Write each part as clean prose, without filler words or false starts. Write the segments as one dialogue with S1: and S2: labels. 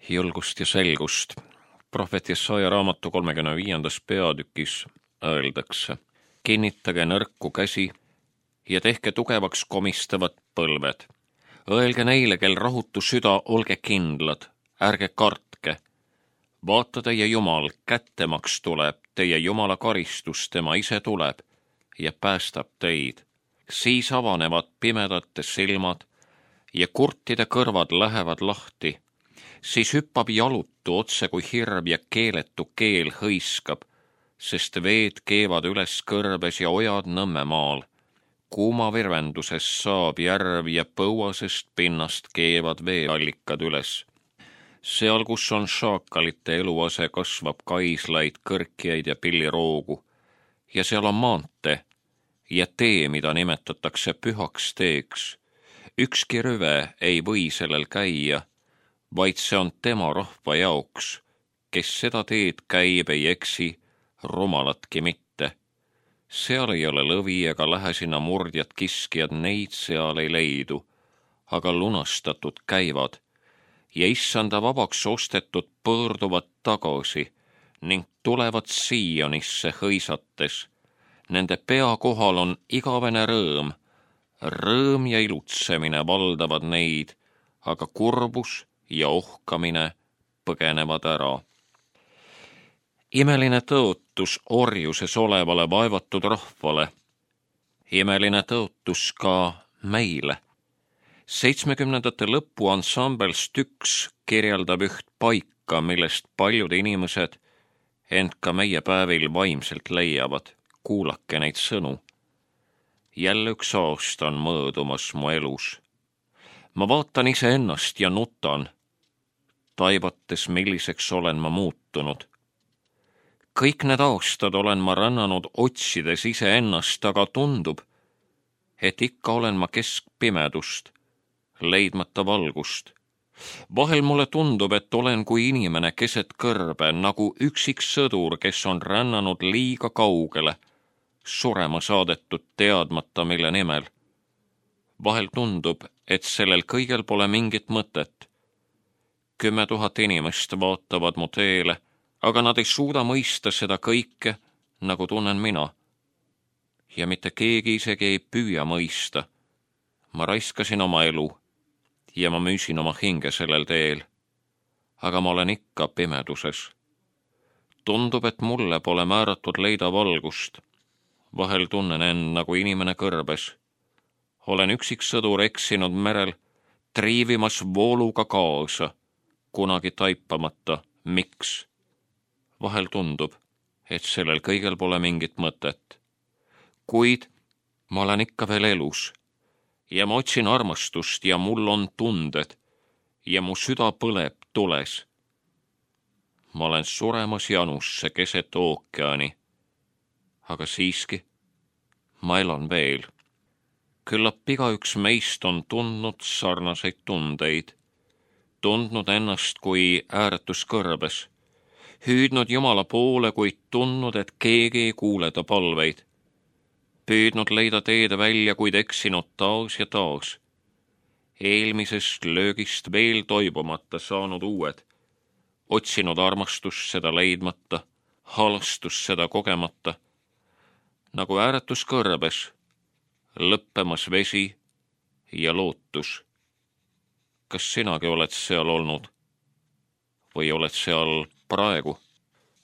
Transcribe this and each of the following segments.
S1: julgust ja selgust. Prohvet Jesaja raamatu 35. peatükis öeldakse: kinnitage nõrku käsi ja tehke tugevaks komistavad põlved. Öelge neile, kel rahutu süda, olge kindlad, ärge kartke. Vaata, teie Jumal kättemaks tuleb, teie Jumala karistus, tema ise tuleb ja päästab teid. Siis avanevad pimedate silmad ja kurtide kõrvad lähevad lahti. Siis hüppab jalutu otse kui hirv ja keeletu keel hõiskab, sest veed keevad üles kõrbes ja ojad Nõmmemaal. Kuuma virvenduses saab järv ja põuasest pinnast keevad veeallikad üles. Seal, kus on šaakalite eluase, kasvab kaislaid, kõrkjaid ja pilliroogu. Ja seal on maantee ja tee, mida nimetatakse pühaks teeks. Ükski rüve ei või sellel käia, vaid see on tema rahva jaoks, kes seda teed käib, ei eksi, rumalatki mitte. Seal ei ole lõvi ega lähe sinna murdjad kiskjad, neid seal ei leidu, aga lunastatud käivad ja issanda vabaks ostetud pöörduvad tagasi ning tulevad Siionisse hõisates. Nende pea kohal on igavene rõõm, rõõm ja ilutsemine valdavad neid, aga kurbus ja ohkamine põgenevad ära. Imeline tõotus orjuses olevale vaevatud rahvale, imeline tõotus ka meile. 70ndate lõpu ansambel Styx kirjeldab üht paika, millest paljud inimesed, ent ka meie päevil vaimselt leiavad. Kuulake neid sõnu. Jälle üks aasta on möödumas mu elus. Ma vaatan iseennast ja nutan, taibates, milliseks olen ma muutunud. Kõik need aastad olen ma rännanud otsides iseennast, aga tundub, et ikka olen ma keskpimedust, leidmata valgust. Vahel mulle tundub, et olen kui inimene keset kõrbe, nagu üksik sõdur, kes on rännanud liiga kaugele, surema saadetud teadmata mille nimel. Vahel tundub, et sellel kõigel pole mingit mõtet. 10 000 inimest vaatavad mu teele, aga nad ei suuda mõista seda kõike, nagu tunnen mina. Ja mitte keegi isegi ei püüa mõista. Ma raiskasin oma elu ja ma müüsin oma hinge sellel teel. Aga ma olen ikka pimeduses. Tundub, et mulle pole määratud leida valgust. Vahel tunnen end nagu inimene kõrbes. Olen üksik sõdur eksinud merel, triivimas vooluga kaasa, kunagi taipamata, miks. Vahel tundub, et sellel kõigel pole mingit mõtet. Kuid ma olen ikka veel elus ja ma otsin armastust ja mul on tunded ja mu süda põleb tules. Ma olen suremas janusse keset ookeani, aga siiski ma elan veel. Küllap igaüks meist on tundnud sarnaseid tundeid, tundnud ennast kui ääretus kõrbes, hüüdnud Jumala poole, kuid tundnud, et keegi ei kuule ta palveid, püüdnud leida teed välja, kuid eksinud taas ja taas, eelmisest löögist veel toibumata saanud uued, otsinud armastust seda leidmata, halastust seda kogemata, nagu ääretus kõrbes, lõppemas vesi ja lootus. Kas sinagi oled seal olnud või oled seal praegu?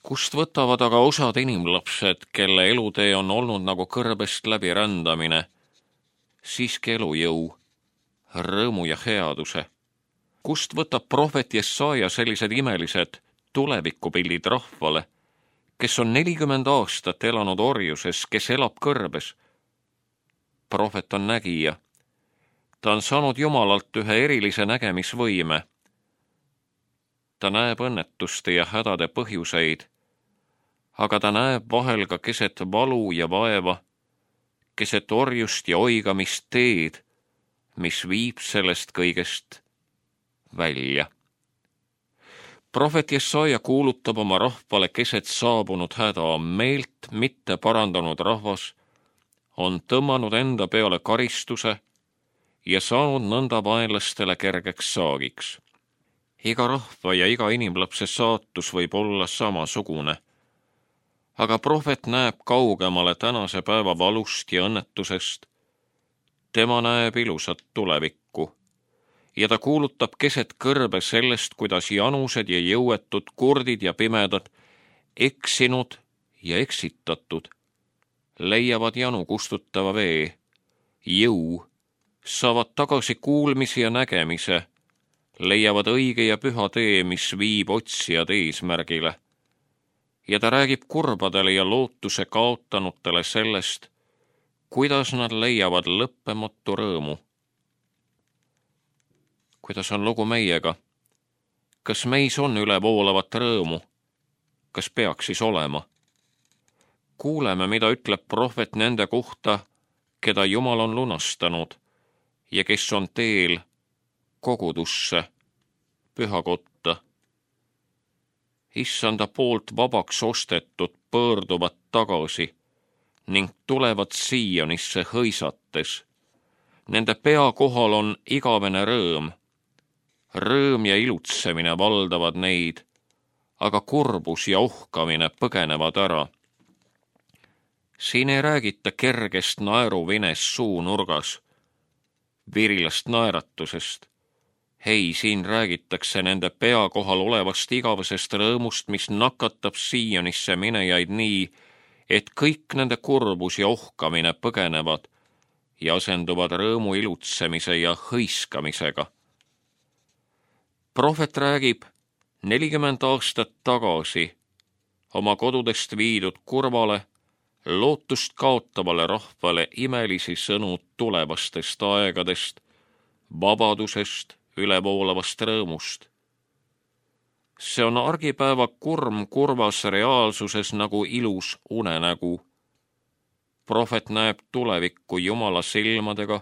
S1: Kust võtavad aga osad inimlapsed, kelle elutee on olnud nagu kõrbest läbi rändamine, siiski elujõu, rõõmu ja headuse? Kust võtab prohvet Jesaja sellised imelised tulevikupildid rahvale, kes on 40 aastat elanud orjuses, kes elab kõrbes? Prohvet on nägija. Ta on saanud Jumalalt ühe erilise nägemisvõime. Ta näeb õnnetuste ja hädade põhjuseid, aga ta näeb vahel ka keset valu ja vaeva, keset orjust ja oigamist teed, mis viib sellest kõigest välja. Prohvet Jesaja kuulutab oma rahvale keset saabunud häda, meelt mitte parandanud rahvas on tõmmanud enda peale karistuse ja saanud nõnda vaenlastele kergeks saagiks. Iga rahva ja iga inimlapse saatus võib olla samasugune. Aga prohvet näeb kaugemale tänase päeva valust ja õnnetusest. Tema näeb ilusat tulevikku ja ta kuulutab keset kõrbe sellest, kuidas janused ja jõuetud, kurdid ja pimedad, eksinud ja eksitatud, leiavad janu kustutava vee, jõu, saavad tagasi kuulmise ja nägemise, leiavad õige ja püha tee, mis viib otsijad eesmärgile. Ja ta räägib kurbadele ja lootuse kaotanutele sellest, kuidas nad leiavad lõppematu rõõmu. Kuidas on lugu meiega? Kas meis on ülevoolavat rõõmu? Kas peaks siis olema? Kuuleme, mida ütleb prohvet nende kohta, keda Jumal on lunastanud ja kes on teel kogudusse, pühakotta. Issanda poolt vabaks ostetud pöörduvad tagasi ning tulevad Siionisse hõisates. Nende pea kohal on igavene rõõm. Rõõm ja ilutsemine valdavad neid, aga kurbus ja ohkamine põgenevad ära. Siin ei räägita kergest naeruvines suunurgas, virilast naeratusest. Hei, siin räägitakse nende pea kohal olevast igavesest rõõmust, mis nakatab Siionisse minejaid nii, et kõik nende kurbus ja ohkamine põgenevad ja asenduvad rõõmu ilutsemise ja hõiskamisega. Prohvet räägib 40 aastat tagasi oma kodudest viidud kurvale, lootust kaotavale rahvale imelisi sõnu tulevastest aegadest, vabadusest, ülevoolavast rõõmust. See on argipäeva kurm kurvas reaalsuses nagu ilus unenägu. Prohvet näeb tulevikku Jumala silmadega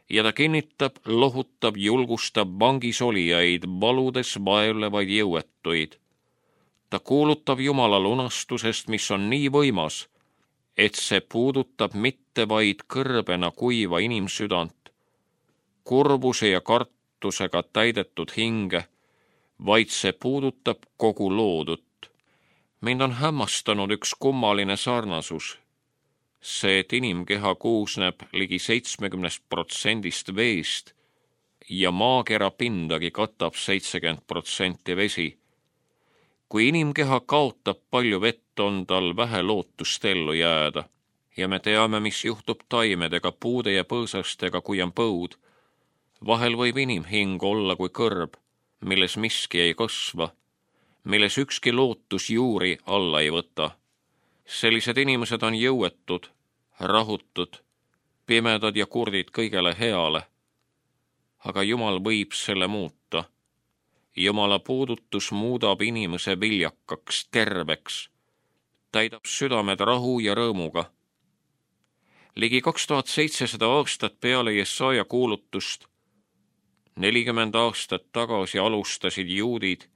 S1: ja ta kinnitab, lohutab, julgustab vangis olijaid, valudes vaevlevaid jõuetuid. Ta kuulutab Jumala lunastusest, mis on nii võimas, et see puudutab mitte vaid kõrbena kuiva inimsüdant, kurbuse ja kartusega täidetud hinge, vaid see puudutab kogu loodut. Mind on hämmastanud üks kummaline sarnasus. See, et inimkeha koosneb ligi 70% veest ja maakera pindagi katab 70% vesi. Kui inimkeha kaotab palju vett, on tal vähe lootust ellu jääda ja me teame, mis juhtub taimedega, puude ja põõsastega, kui on põud. Vahel võib inimhing olla kui kõrb, milles miski ei kasva, milles ükski lootus juuri alla ei võta. Sellised inimesed on jõuetud, rahutud, pimedad ja kurdid kõigele heale. Aga Jumal võib selle muuta. Jumala puudutus muudab inimese viljakaks, terveks, täidab südamed rahu ja rõõmuga. Ligi 2700 aastat peale Jesaja kuulutust, 40 aastat tagasi alustasid juudid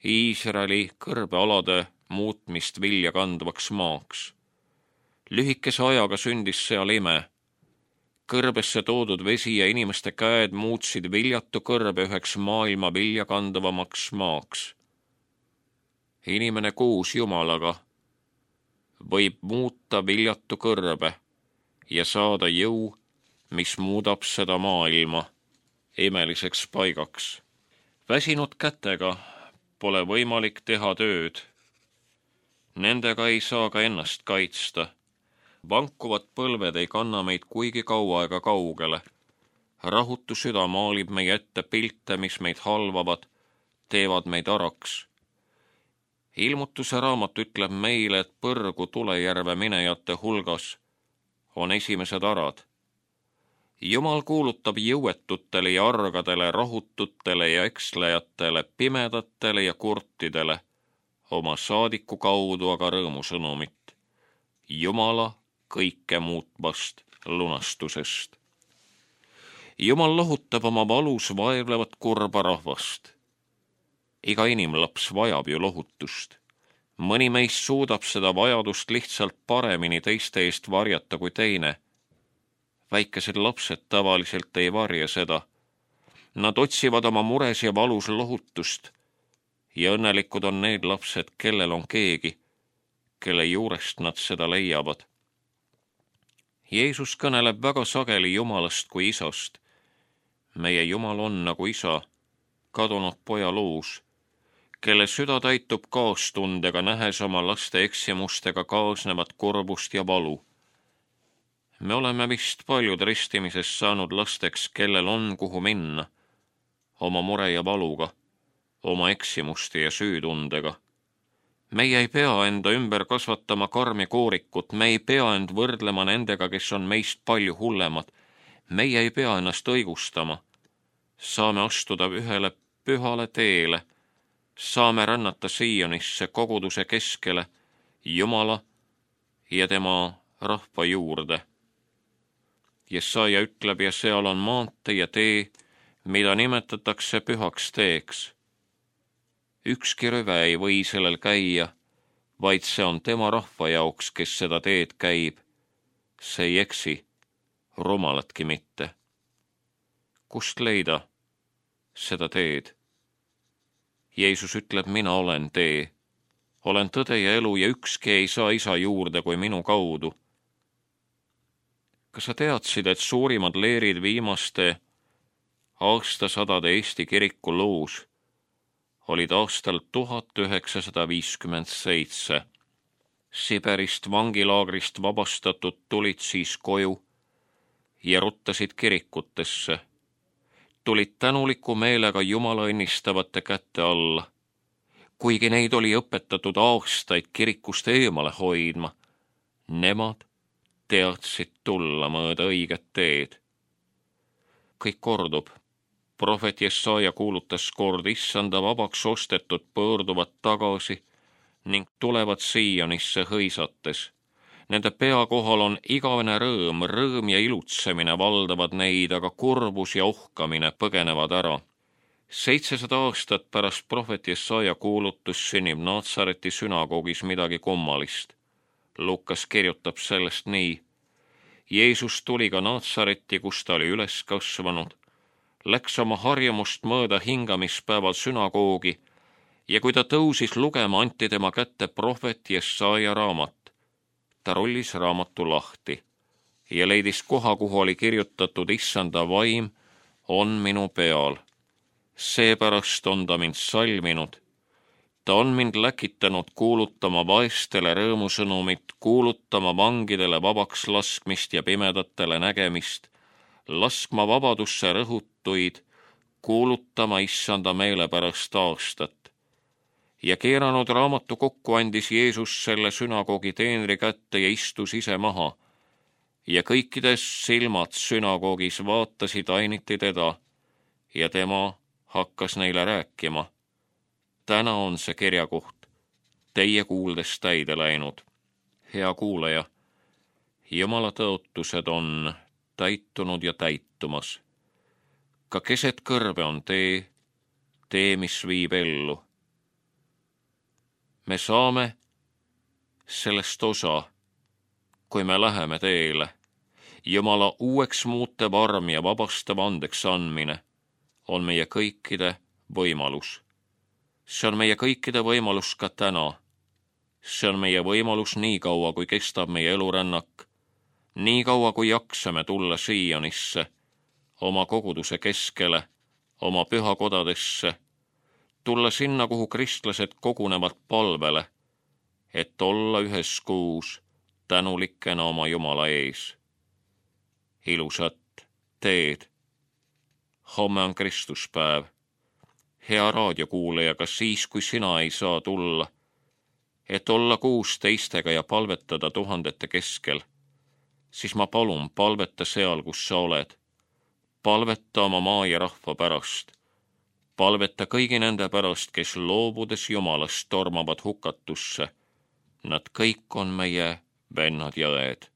S1: Iisraeli kõrbealade muutmist vilja kandvaks maaks. Lühikese ajaga sündis seal ime. Kõrbesse toodud vesi ja inimeste käed muutsid viljatu kõrbe üheks maailma vilja kandvamaks maaks. Inimene koos Jumalaga võib muuta viljatu kõrbe ja saada jõu, mis muudab seda maailma imeliseks paigaks. Väsinud kätega pole võimalik teha tööd. Nendega ei saa ka ennast kaitsta. Vankuvad põlved ei kanna meid kuigi kaua ega kaugele. Rahutu süda maalib meie ette pilte, mis meid halvavad, teevad meid araks. Ilmutuse raamat ütleb meile, et põrgu tulejärve minejate hulgas on esimesed arad. Jumal kuulutab jõuetutele ja argadele, rahututele ja ekslejatele, pimedatele ja kurtidele oma saadiku kaudu aga rõõmusõnumit. Jumala kõike muutvast lunastusest. Jumal lohutab oma valus vaevlevat kurba rahvast. Iga inimlaps vajab ju lohutust. Mõni meist suudab seda vajadust lihtsalt paremini teiste eest varjata kui teine. Väikesed lapsed tavaliselt ei varja seda. Nad otsivad oma mures ja valus lohutust ja õnnelikud on need lapsed, kellel on keegi, kelle juurest nad seda leiavad. Jeesus kõneleb väga sageli Jumalast kui Isast. Meie Jumal on nagu isa kadunud poja luus, kelle süda täitub kaastundega, nähes oma laste eksimustega kaasnevat kurbust ja valu. Me oleme vist paljud ristimises saanud lasteks, kellel on kuhu minna, oma mure ja valuga, oma eksimuste ja süütundega. Meie ei pea enda ümber kasvatama karmi koorikut, me ei pea end võrdlema nendega, kes on meist palju hullemad. Meie ei pea ennast õigustama. Saame astuda ühele pühale teele, saame rännata Siionisse, koguduse keskele, Jumala ja tema rahva juurde. Jesaja ütleb, ja seal on maantee ja tee, mida nimetatakse pühaks teeks. Ükski rüve ei või sellel käia, vaid see on tema rahva jaoks, kes seda teed käib. See ei eksi, rumalatki mitte. Kust leida seda teed? Jeesus ütleb, mina olen tee, olen tõde ja elu ja ükski ei saa isa juurde kui minu kaudu. Kas sa teadsid, et suurimad leerid viimaste aastasadade Eesti kiriku loos olid aastal 1957. Siberist vangilaagrist vabastatud tulid siis koju ja ruttasid kirikutesse. Tulid tänuliku meelega Jumala õnnistavate kätte alla. Kuigi neid oli õpetatud aastaid kirikust eemale hoidma, nemad teadsid tulla mööda õiget teed. Kõik kordub. Prohvet Jesaja kuulutas kord, issanda vabaks ostetud pöörduvad tagasi ning tulevad Siionisse hõisates. Nende pea kohal on igavene rõõm ja ilutsemine valdavad neid, aga kurbus ja ohkamine põgenevad ära. 700 aastat pärast prohvet Jesaja kuulutus sünnib Naatsareti sünagoogis midagi kummalist. Lukas kirjutab sellest nii. Jeesus tuli ka Naatsareti, kus ta oli üles kasvanud, läks oma harjumust mööda hingamispäeval sünagoogi ja kui ta tõusis lugema, anti tema kätte prohvet Jesaja raamat. Ta rullis raamatu lahti ja leidis koha, kuhu oli kirjutatud, issanda vaim on minu peal. Seepärast on ta mind salminud. Ta on mind läkitanud kuulutama vaestele rõõmusõnumit, kuulutama vangidele vabaks laskmist ja pimedatele nägemist, laskma vabadusse rõhutuid, kuulutama issanda meelepärast aastat. Ja keeranud raamatu kokku, andis Jeesus selle sünagoogi teenri kätte ja istus ise maha. Ja kõikides silmad sünagoogis vaatasid ainiti teda ja tema hakkas neile rääkima. Täna on see kirjakoht teie kuuldes täide läinud. Hea kuulaja, Jumala tõotused on täitunud ja täitumas. Ka keset kõrve on tee, mis viib ellu. Me saame sellest osa, kui me läheme teele. Jumala uueks muutev arm ja vabastav andeks andmine on meie kõikide võimalus. See on meie kõikide võimalus ka täna. See on meie võimalus nii kaua, kui kestab meie elurännak, nii kaua, kui jaksame tulla Siionisse, oma koguduse keskele, oma pühakodadesse, tulla sinna, kuhu kristlased kogunevad palvele, et olla üheskoos tänulikena oma Jumala ees. Ilusat teed. Homme on Kristuspäev. Hea raadiokuulaja, ka siis, kui sina ei saa tulla, et olla koos teistega ja palvetada tuhandete keskel, siis ma palun, palveta seal, kus sa oled. Palveta oma maa ja rahva pärast. Palveta kõigi nende pärast, kes loobudes Jumalast tormavad hukatusse. Nad kõik on meie vennad ja õed.